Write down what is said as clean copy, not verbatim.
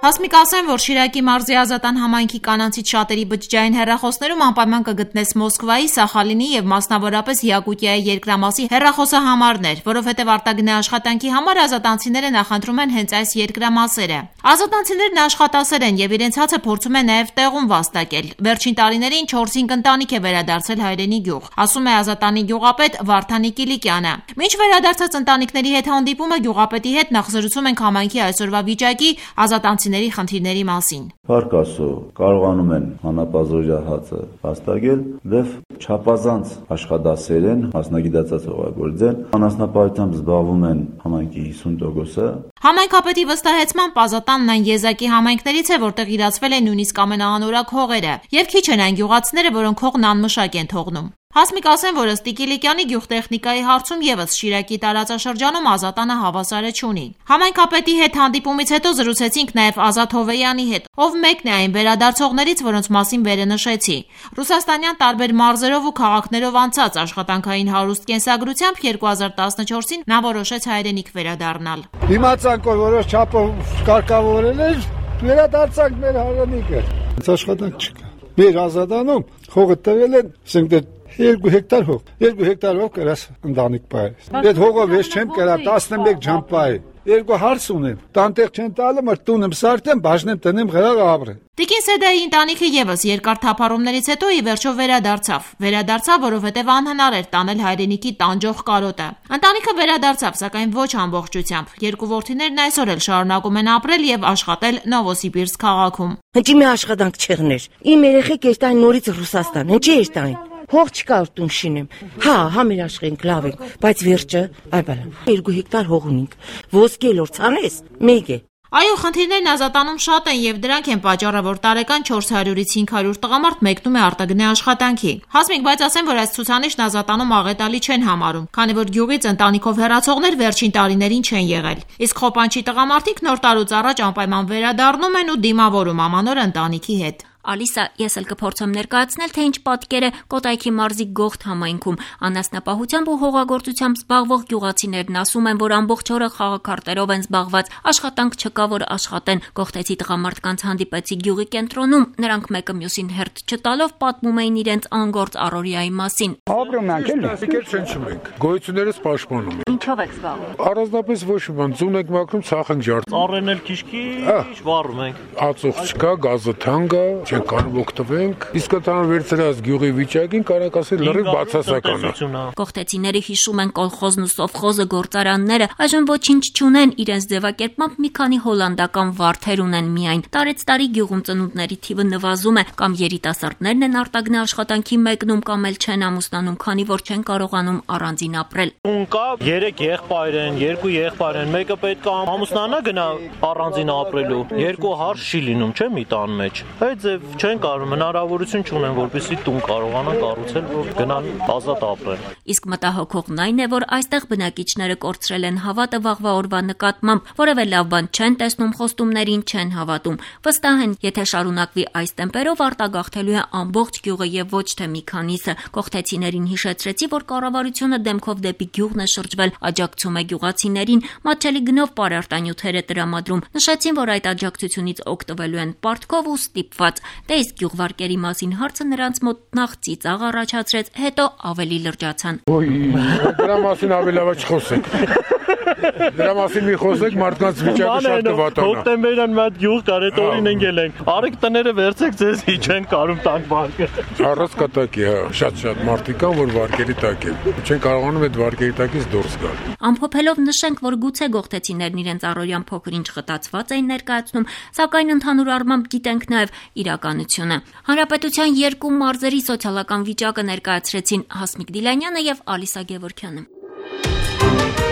Հասմիկ ասեն, որ Շիրակի մարզի Ազատան համայնքի կանանցից շատերի բջջային հեռախոսներում անպայման կգտնես Մոսկվայի, Սախալինի եւ մասնավորապես Յակուտիայի երկրամասի հեռախոսահամարներ, որովհետեւ արտագնե աշխատանքի համար ազատանցիները նախընտրում են հենց այս երկրամասերը։ Ազատանցիներն աշխատասեր են եւ իրենց հացը փորձում են նաեւ տեղում վաստակել։ Վերջին տարիներին 4-5 ընտանիք է վերադարձել հայրենի գյուղ, ասում է Ազատանի գյուղապետ Վարդանի Կիլիկյանը։ Մինչ վերադարձած ընտանիքների հետ հանդիպումը գյուղապետի հետ նախ զրուցում ենք համայնքի այսօրվա վիճակի, ազատանցիների խնդիրների մասին։ Փառք Աստծո, կարողանում են հանապազօրյա հացը վաստակել, դեպ չափազանց աշխատասեր են, մասնագիտացած հողագործեն, անասնապահությամբ զբաղվում են համայնքի 50%-ը։ Համայնքապետի վստահեցմամբ Ազատանն այն եզակի համայնքներից է, որտեղ իրացվել են նույնիսկ ամենաանորակ հողերը, եւ քիչ են այն գյուղացիները, որոնք հողն անմշակ են թողնում։ Հասմիկ ասեն, որ ըստ Կիլիկյանի գյուղտեխնիկայի հարցում եւս Շիրակի տարածաշրջանում Ազատանը հավասարը չունի։ Համայնքապետի հետ հանդիպումից հետո զրուցեցինք նաեւ Ազատ Հովեյանի հետ, ով մեկն է այն վերադարձողներից, որոնց մասին վերը նշեցի։ Ռուսաստանյան տարբեր մարզերով ու քաղաքներով անցած աշխատանքային հարուստ կենսագրությամբ 2014-ին նա որոշեց հայրենիք վերադառնալ։ Դիմացանք, որ որոշ չափով կարգավորել էր, վերադարձանք մեր հայրենիքը։ Աշխատանք չկա։ Մեր Ազատանում հողը տվել են, ասենք 2 հեկտար հող, 2 հեկտար հող կրած ընտանիք պահես։ Այդ հողը վեճ չեմ կրա 11 ժամ պահել։ 2 հարց ունեմ, տանտեղ չեն տալը, մր տունեմ սարդեմ, բաժնեմ տնեմ գրաղ ապրեմ։ Տիկին Սեդայի ընտանիքը եւս երկար թափառումներից հետո ի վերջո վերադարձավ, որովհետեւ անհնար էր տանել հայրենիքի տանջող կարոտը։ Ընտանիքը վերադարձավ, սակայն ոչ ամբողջությամբ։ 2 որդիներն այսօր էլ շարունակում են ապրել եւ աշխատել Նովոսիբիրսկ քաղաքում։ Հնչի մի աշխատանք չեղներ։ Իմ երեխեք էստային նորից Ռուսաստան, հնչի էստային։ Հող չկա տուն շինեմ։ Հա մեր աշխենք լավ ենք, բայց վերջը, այ բալա, 2 հեկտար հող ունենք։ Ոսկե լոր ցանես, մեկ է։ Այո, խնդիրներն Ազատանում շատ են եւ դրանք են պատճառը, որ տարեկան 400-ից 500 տղամարդ մեկնում է արտագնե աշխատանքի։ Հասմիկ, բայց ասեմ, որ այս ցուցանիշն Ազատանում աղետալի չեն համարում, քանի որ գյուղից ընտանիքով հեռացողներ վերջին տարիներին չեն եղել։ Իսկ խոպանչի տղամարդիկ նոր տարուց առաջ անպայման վերադառնում են ու դիմավորում ամանոր ընտանիքի հետ։ Ալիսա, ես էլ կփորձեմ ներկայացնել, թե ինչ պատկեր է Կոտայքի մարզի Գողթ համայնքում։ Անասնապահությամբ ու հողագործությամբ զբաղվող գյուղացիներն ասում են, որ ամբողջ օրը խաղաքարտերով են զբաղված, աշխատանք չկա, որ աշխատեն։ Գողթեցի տղամարդկանց հանդիպեցի գյուղի կենտրոնում, նրանք մեկը մյուսին հերթ չտալով պատմում էին իրենց անգործ առօրյայի մասին։ Ապրում ենք էլի, չնչում ենք, գոյություններս պաշտպանում ենք։ Ինչով եք զբաղվում։ Առանձնապես ոչ մի բան, ձուն եք մաքրում, ցախ ենք ջարդում։ Ծառերն էլ քիչ-քիչ վառում ենք։ Ածուխ չկա, գազը թանկ է, չենք կարող օգտվենք։ Իսկ ընդհանուր վերցրած գյուղի վիճակին կարող ասել լրիվ բացասական է։ Գողթեցիները հիշում են կոլխոզն ու սովխոզը գործարանները, այժմ ոչինչ չունեն, իրենց ձևակերպմամբ մի քանի հոլանդական վարդեր ունեն միայն։ Տարեցտարի գյուղում ծնունդների թիվը նվազում է, կամ երիտասարդներն են արտագնե աշխատանքի մեկնում, կամ էլ չեն ամուսնանում, քանի որ չեն կարողանում առանձին ապրել։ Տուն կա, 3 եղբայր են, 2 եղբայր են, մեկը պետք է ամուսնանա գնա առանձին ապրելու, 2 հարց չի լինում, չէ՞ մի տան մեջ։ Այդ ձև չեն կարող, հնարավորություն չունեն, որպեսզի տուն կարողանան կառուցել, որ գնան ազատ ապրեն։ Իսկ մտահոգողն այն է, որ այստեղ բնակիչները կորցրել են հավատը վաղվա օրվա նկատմամբ, որևէ լավ բան չեն տեսնում, խոստումներին չեն հավատում։ Վստահ են, եթե շարունակվի այս տեմպերով, արտագաղթելու է ամբողջ գյուղը եւ ոչ թե մի քանիսը։ Գողթեցիներին հիշեցրեցի, որ կառավարությունը դեմքով դեպի գյուղն է շրջվել, աջակցում է գյուղացիներին, մատչելի գնով պարարտանյութեր է տրամադրում։ Նշեցին, որ այդ աջակցությունից օգտվելու են պարտքով ու ստիպված։ Դե իսկ գյուղվարկերի մասին հարցը նրանց մոտ նախ ծիծաղ առաջացրեց, հետո ավելի լրջացան։ Դրա մասին ավելի լավ չխոսենք։ Դրա մասին մի խոսեք, մարդկանց վիճակը շատ կվատանա։ Հոկտեմբերյան մի հատ գյուղ կար, այդ օրին ընկել ենք։ Արեք տները վերցեք, ձեզ չեն կարում տանք վարկը։ Առանց կտակի, հա, շատ մարդիկ կան, որ վարկերի տակ են։ Չեն կարողանում այդ վարկերի տակից դուրս գալ։ Ամփոփելով նշենք, որ գուցե գողթեցիներն իրենց առօրյան փոքր-ինչ խտացված էին ներկայացնում, սակայն ընդհանուր առմամբ գիտենք նաև իրականությունը։ Հանրապետության 2 մարզերի սոցիալական վիճակը ներկայացրեցին Հասմիկ Դիլանյանը եւ Ալիսա Գևորգյանը։